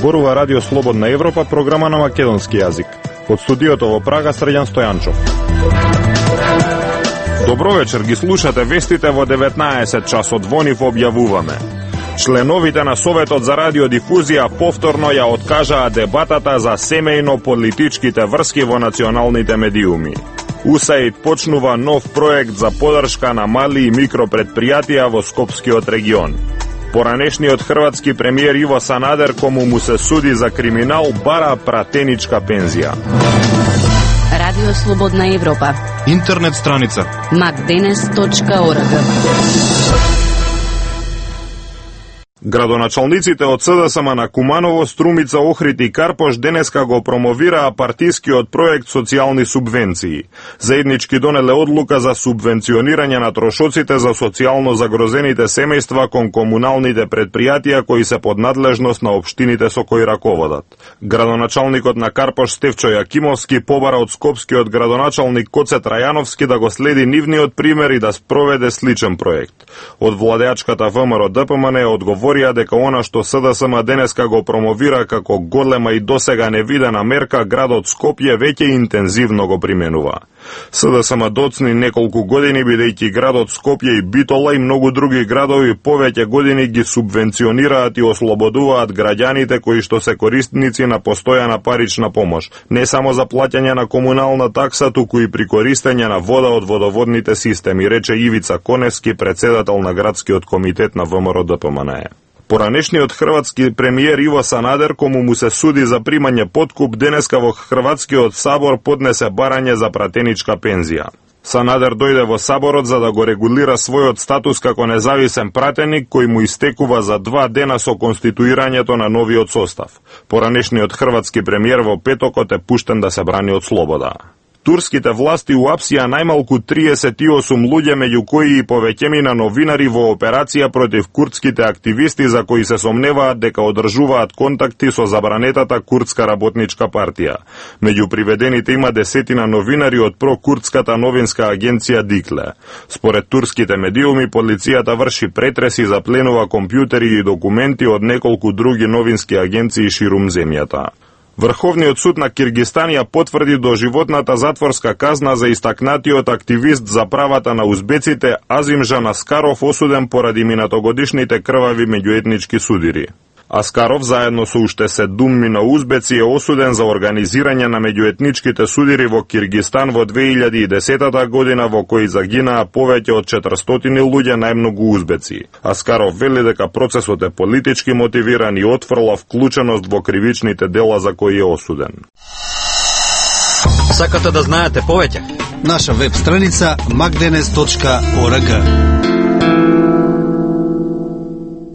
Зборува Радио Слободна Европа, програма на македонски јазик. Од студиото во Прага, Срđan Стојанчов. Добро вечер, ги слушате вестите во 19 часот. Во нив објавуваме: членовите на Советот за радиодифузија повторно ја откажаа дебатата за семејно-политичките врски во националните медиуми. УСАИД почнува нов проект за поддршка на мали и микропредпријатија во Скопскиот регион. Поранешниот хрватски премиер Иво Санадер, кому му се суди за криминал, бара пратеничка пензија. Радио Слободна Европа. Интернет страница macdenes.org. Градоначалниците од СДСМ на Куманово, Струмица, Охрид и Карпош денеска го промовираа партискиот проект социјални субвенции. Заеднички донеле одлука за субвенционирање на трошоците за социјално загрозените семејства кон комуналните предпријатија кои се под надлежност на општините со кои раководат. Градоначалникот на Карпош Стефчо Јакимовски побара од скопскиот градоначалник Коце Трајановски да го следи нивниот пример и да спроведе сличен проект. Од владеачката ВМРО ДПМН одговорија дека она што СДСМ денеска го промовира како голема и досега невидена мерка, градот Скопје веќе интензивно го применува. СДСМ доцни неколку години, бидејќи градот Скопје и Битола и многу други градови повеќе години ги субвенционираат и ослободуваат граѓаните кои што се корисници на постојана парична помош, не само за плаќање на комунална такса, туку и при користење на вода од водоводните системи, рече Ивица Коневски, председател на градскиот комитет на ВМРО ДПМН. Поранешниот хрватски премиер Иво Санадер, кому му се суди за примање подкуп, денеска во Хрватскиот сабор поднесе барање за пратеничка пензија. Санадер дојде во саборот за да го регулира својот статус како независен пратеник кој му истекува за 2 дена со конституирањето на новиот состав. Поранешниот хрватски премиер во петокот е пуштен да се брани од слобода. Турските власти уапсија најмалку 38 луѓе, меѓу кои и повеќемина новинари во операција против курдските активисти за кои се сомневаат дека одржуваат контакти со забранетата курдска работничка партија. Меѓу приведените има десетина новинари од прокурдската новинска агенција Дикле. Според турските медиуми, полицијата врши претреси, запленува компјутери и документи од неколку други новински агенции ширум земјата. Врховниот суд на Киргистан ја потврди доживотната затворска казна за истакнатиот активист за правата на узбеците Азимжан Аскаров, осуден поради минатогодишните крвави меѓуетнички судири. Аскаров, заедно со уште 7 узбеци, е осуден за организирање на меѓуетничките судири во Киргистан во 2010 година, во кои загинаа повеќе од 400 луѓе, најмногу узбеци. Аскаров вели дека процесот е политички мотивиран и отфрла вклученост во кривичните дела за кои е осуден. Сакате да знаете повеќе? Наша веб страница macdenes.org.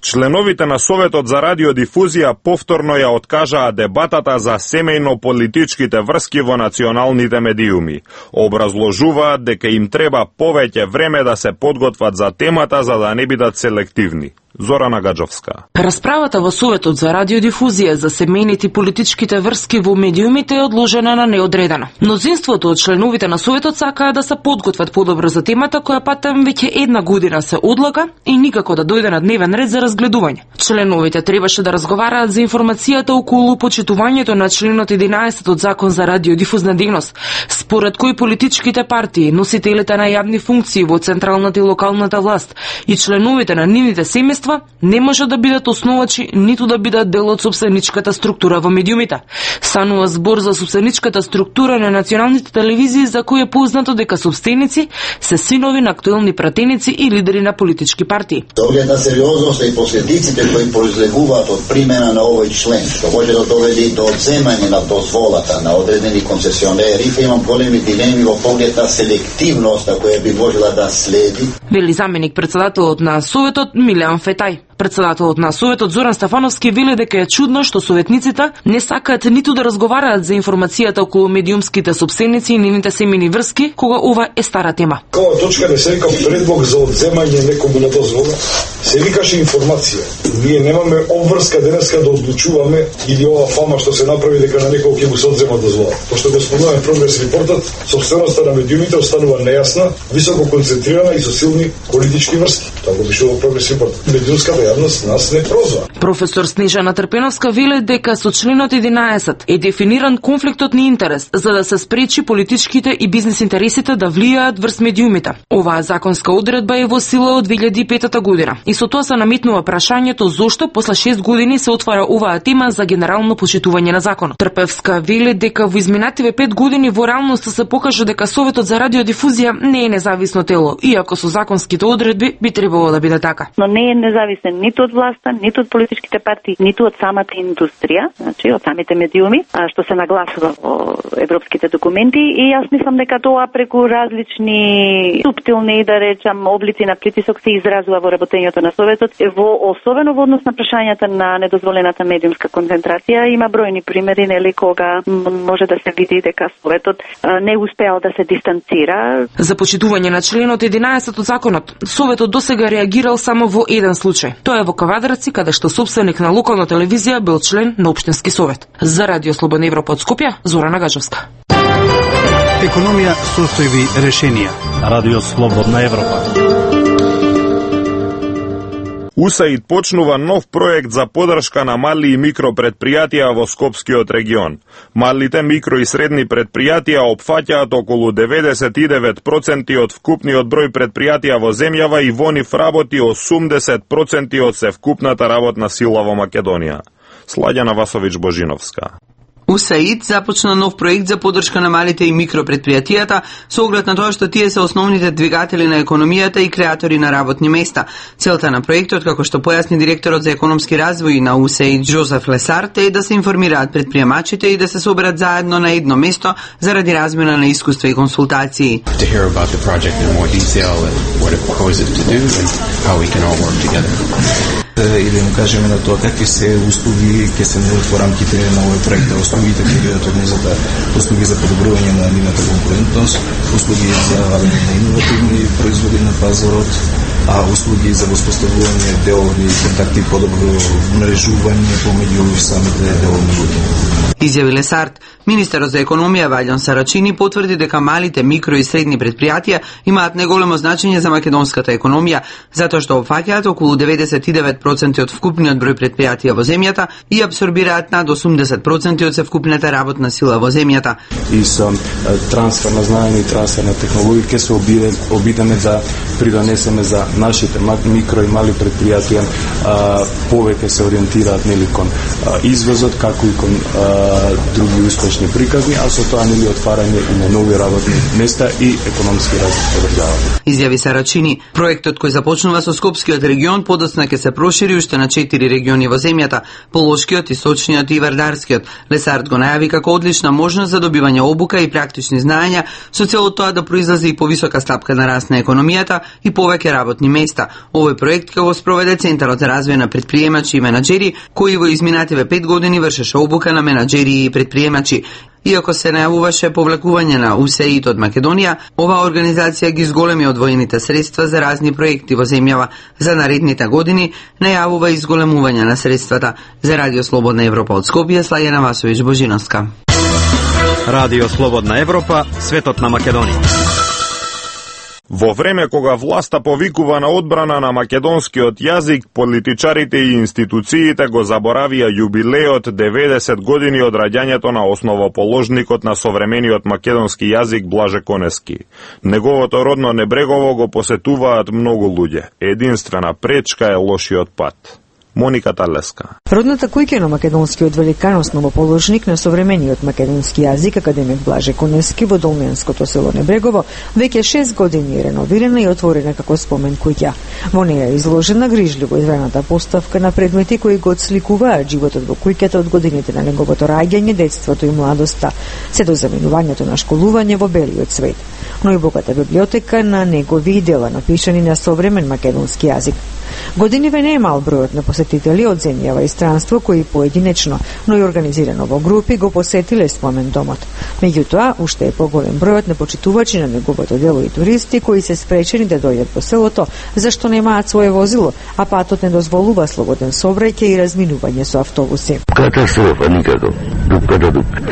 Членовите на Советот за радиодифузија повторно ја откажаа дебатата за семејно-политичките врски во националните медиуми. Образложуваат дека им треба повеќе време да се подготват за темата за да не бидат селективни. Зорана Гаджовска. Расправата во Советот за радиодифузија за семејните и политичките врски во медиумите е одложена на неодредено. Мнозинството од членовите на Советот сакаа да се подготват подобро за темата, која патем веќе 1 година се одлага и никако да дојде на дневен ред за разгледување. Членовите требаше да разговараат за информацијата околу почитувањето на членот 11 од Закон за радиодифузна дејност, според кој политичките партии, носителите на јавни функции во централната и локалната власт и членовите на нивните семејства не може да бидат основачи, ниту да бидат дел од сопстеничката структура во медиумите. Станува збор за сопстеничката структура на националните телевизии, за кој е познато дека сопстеници се синови на актуелни пратеници и лидери на политички партии. Оглед на сериозноста и последиците кои произлегуваат од примена на овој член, што може да доведе до одземање на дозволата на одредени концесионери, имам големи дилеми во поглед на селективноста која би можела да следи. Вели заменик председателот на Советот Милеан Фетај. Председателот на Советот Зоран Стефановски вели дека е чудно што советниците не сакаат ниту да разговараат за информацијата околу медиумските сопственици и нивните семејни врски, кога ова е стара тема. Ова точка не се вика предлог за одземање некому на дозвола, се викаше информација. Ние немаме обврска денеска да одлучуваме или ова фама што се направи дека на некој ќе му се одзема дозвола. Пошто го спомнуваме прогрес репортот, собственоста на медиумите останува нејасна, високо концентрирана и со силни политички врски. Тоа го пишува прогрес репорт. Медиумската јавност нас не прозва. Професор Снежана Трпеновска вели дека со членот 11 е дефиниран конфликтот на интерес за да се спречи политичките и бизнес интересите да влијаат врз медиумите. Оваа законска одредба е во сила од 2005 година и со тоа се наметнува прашањето зошто после 6 години се отвара оваа тема за генерално почитување на законот. Трпевска вели дека во изминативе 5 години во реалноста се покажа дека Советот за радиодифузија не е независно тело, иако со законските одредби би требало да биде така. Но не е независен ниту од власта, ниту од политичките партии, ниту од самата индустрија, значи од самите медиуми, што се нагласува во европските документи, и јас мислам дека тоа преку различни суптилни, да речам, облици на притисок се изразува во работењето на Советот, особено во однос на прашањата на недозволената медиумска концентрација. Има бројни примери, нели, кога може да се види дека Советот не успеал да се дистанцира. За почитување на членот 11 од законот, Советот досега реагирал само во еден случај. Тоа е во Кавадарци, каде што собственик на локална телевизија бил член на општински совет. За Радио Слободна Европа од Скопје, Зорана Гаджевска. Економија, состојби, решенија. Радио Слободна Европа. УСАИД почнува нов проект за поддршка на мали и микро предпријатија во Скопскиот регион. Малите микро и средни предпријатија опфаќаат околу 99% од вкупниот број предпријатија во земјава и во нив работи 80% од севкупната работна сила во Македонија. Сладјана Васович Божиновска. УСАИД започна нов проект за поддршка на малите и микропредпријатијата со оглед на тоа што тие се основните двигатели на економијата и креатори на работни места. Целта на проектот, како што појасни директорот за економски развој на УСАИД Жозеф Лесарт, е да се информираат предприемачите и да се соберат заедно на едно место заради размена на искуства и консултации. И да им кажеме на тоа какви се услуги ќе се нудат во рамките на овој проект. Услугите ќе бидат од низата услуги за подобрување на нивната конкурентност, услуги за на иновативни производи на пазарот, а услуги за воспоставување делови контакти и подобро мрежување помеѓу самите делови луѓе. Изјави Лесарт. Министерот за економија Ваљон Сарачини потврди дека малите, микро и средни предпријатија имаат неголемо значење за македонската економија, затоа што опфаќаат околу 99% од вкупниот број предпријатија во земјата и апсорбираат над 80% од севкупната работна сила во земјата. И со трансфер на знаење и трансфер на технологија ќе се обидеме да придонесеме за нашите микро и мали предпријатија повеќе се ориентираат нели кон извозот, како и кон други успешни приказни, а со тоа нели отварање и на нови работни места и економски раст во државата. Изјави Сарачини. Проектот кој започнува со Скопскиот регион подоцна ќе се прошири уште на 4 региони во земјата: Полошкиот, Источниот и Вардарскиот. Лесарт го најави како одлична можност за добивање обука и практични знаења со цел тоа да произлезе и повисока стапка на раст на економијата и повеќе работни места. Овој проект ќе го спроведе Центарот за развој на предприемачи и менаџери, кој во изминативе 5 години вршеше обука на менаџери и предприемачи. Иако се најавуваше повлекување на УСАИД од Македонија, оваа организација ги зголеми одвоените средства за разни проекти во земјава. За наредните години најавува изголемување на средствата. За Радио Слободна Европа од Скопје, Слајана Васович Божиновска. Радио Слободна Европа, светот на Македонија. Во време кога власта повикува на одбрана на македонскиот јазик, политичарите и институциите го заборавија јубилеот 90 години од раѓањето на основоположникот на современиот македонски јазик Блаже Конески. Неговото родно Небрегово го посетуваат многу луѓе. Единствена пречка е лошиот пат. Моника Талеска. Родната куќа на македонскиот великан основоположник на современиот македонски јазик академик Блаже Конески во долменското село Небрегово веќе 6 години е реновирана и отворена како спомен куќа. Во неја е изложена грижливо изведената поставка на предмети кои го отсликуваат животот во куќата од годините на неговото раѓање, детството и младоста, се до заминувањето на школување во белиот свет. Но и богата библиотека на негови дела напишани на современ македонски јазик. Годиниве не е мал бројот на посетители од земјава и странство кои поединечно, но и организирано во групи го посетиле спомен домот. Меѓутоа, уште е поголем бројот на почитувачи на неговото дело и туристи кои се спречени да дојдат по селото, зашто немаат свое возило, а патот не дозволува слободен сообраќај и разминување со автобуси. Катастрофа никако. Дук.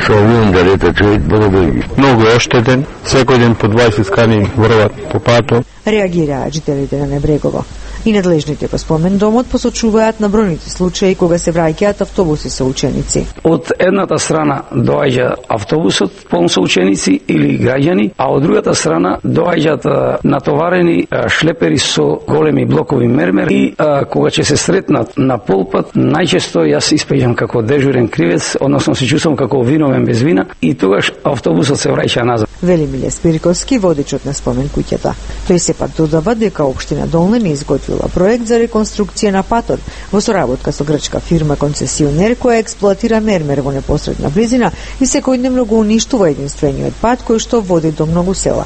Со авион да лета човек дојде. Многу е оштетен, секој ден по 20 скани врват по патот. Реагираат жителите на Небрегово. И надлежните по спомен домот посочуваат на бројните случаи кога се враќаат автобуси со ученици. Од едната страна доаѓа автобусот полн со ученици или граѓани, а од другата страна доаѓаат натоварени шлепери со големи блокови мермер и кога ќе се сретнат на полпат, најчесто јас испеѓам како дежурен кривец, односно се чувствам како виновен без вина и тогаш автобусот се враќа назад. Вели Миле Спириковски, водечот на спомен куќата. Тој сепак додава дека општина Долна не изготвила проект за реконструкција на патот во соработка со грчка фирма концесионер која експлоатира мермер во непосредна близина и секојдневно го уништува единствениот пат кој што води до многу села.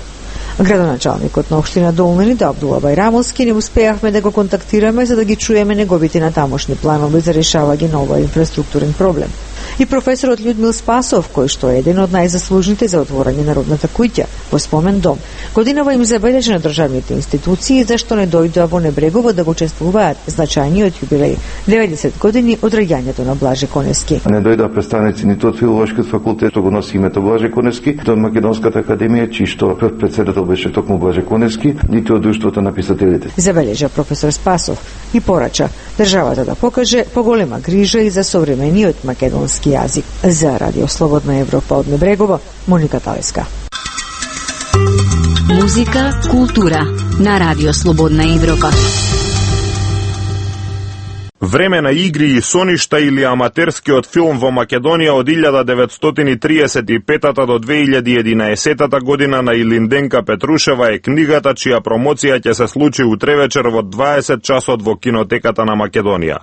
Градоначалникот на општина Долна Абдула Байрамовски не успеавме да го контактираме за да ги чуеме неговите натамошни планови за решавање на овој инфраструктурен проблем. И професорот Људмил Спасов, кој што е еден од најзаслужните за отворање на родната куќа во спомен дом, годинава им забележа на државните институции зашто не дојдоа во Небрегово да го чествуваат значајниот јубилеј 90 години од раѓањето на Блаже Конески. Не дојдоа представници ниту од филолошкиот факултет, го носи името Блаже Конески, ниту од Македонската академија, чиј што председател беше токму Блаже Конески, ниту од Друштвото на писателите. Забележа професор Спасов и порача државата да покаже поголема грижа и за современиот македонски јазик. За Радио Слободна Европа од Небрегово, Моника Талеска. Музика, култура на Радио Слободна Европа. Време на игри и соништа или аматерскиот филм во Македонија од 1935 до 2011 година на Илинденка Петрушева е книгата чија промоција ќе се случи утре вечер во 20 часот во кинотеката на Македонија.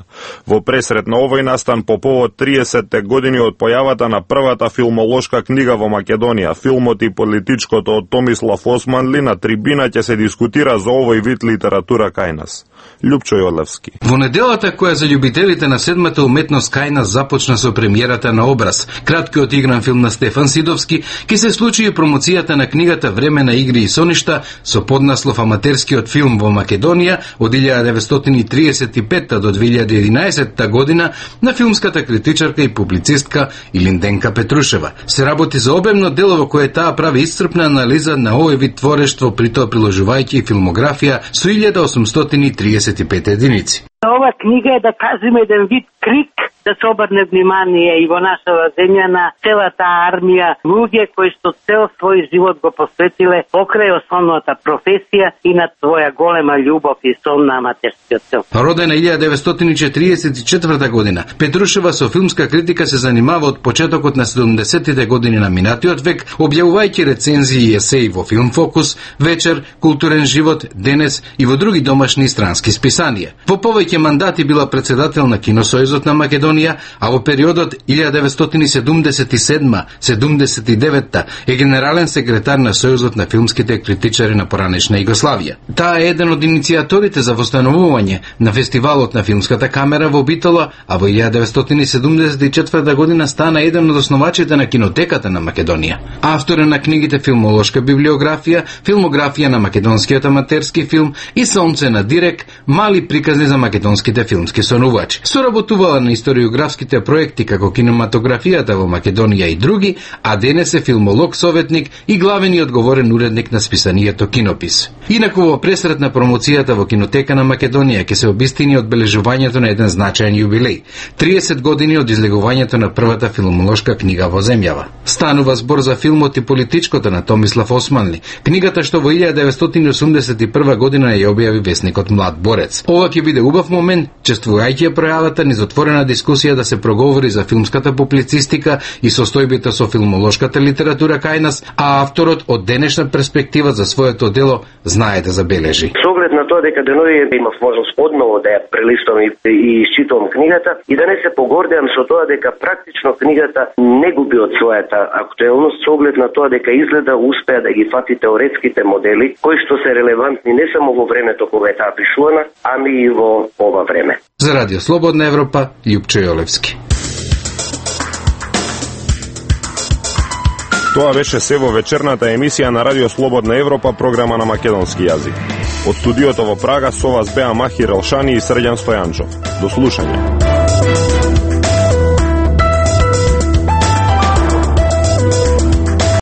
Во пресрет на овој настан по повод 30 години од појавата на првата филмолошка книга во Македонија, филмот и политичкото од Томислав Османли, на трибина ќе се дискутира за овој вид литература кај нас. Лјупчо Јолевски. Во неделата која за љубителите на седмата уметност кај нас започна со премиерата на Образ, краткиот игран филм на Стефан Сидовски, ќе се случи и промоцијата на книгата Време на игри и соништа со поднаслов Аматерскиот филм во Македонија од 1935 до 2011 година на филмската критичарка и публицистка Илинденка Петрушева. Се работи за обемно дело во кое таа прави исцрпна анализа на овој вид творештво, при тоа приложувајќи филмографија со 1835 единици. Ова книга е, да кажеме, еден вид крик да се обрне внимание и во нашава земја на целата армија луѓе кои што цел свој живот го посветиле покрај основната професија и на своја голема љубов и сон на аматерскиот филм. Родена 1944 година, Петрушева со филмска критика се занимава од почетокот на 70-тите години на минатиот век, објавувајќи рецензии и есеи во Филм Фокус, Вечер, Културен живот, Денес и во други домашни и странски списанија. Во повеќе мандати била председател на Киносојузот на Македонија, а во периодот 1977-79 е генерален секретар на Сојузот на филмските критичари на поранешна Југославија. Таа е еден од иницијаторите за востановување на фестивалот на филмската камера во Битола, а во 1974 година стана еден од основачите на кинотеката на Македонија. Автор на книгите Филмолошка библиографија, Филмографија на македонскиот аматерски филм и Сонце на Дирек, мали приказни за македонските филмски сонувачи. Соработувала на историографските проекти како кинематографијата во Македонија и други, а денес е филмолог советник и главен и одговорен уредник на списанието Кинопис. Инаку во пресрет на промоцијата во Кинотека на Македонија ќе се обистини одбележувањето на еден значаен јубилеј – 30 години од излегувањето на првата филмолошка книга во земјава. Станува збор за филмот и политичкото на Томислав Османли, книгата што во 1981 година ја објави весникот Млад борец. Ова ќе биде убав момент, чествувајќи пројавата низ отворена дискусија да се проговори за филмската публицистика и состојбите со филмолошката литература кај нас, а авторот од денешна перспектива за своето дело знае да забележи. Со оглед на тоа дека деновие имав можност одново да ја прелистувам и читувам книгата и да не се погордеам со тоа дека практично книгата не губи од својата актуелност со оглед на тоа дека изгледа успеа да ги фати теоретските модели кои што се релевантни не само во времето кога е таа пишувана, ами и во ова време. За Радио Слободна Европа, Љупчо Јолевски. Тоа беше се во вечерната емисија на Радио Слободна Европа, програма на македонски јазик. Од студиото во Прага со вас беа Махир Елшани и Срđan Стојанчов. До слушање.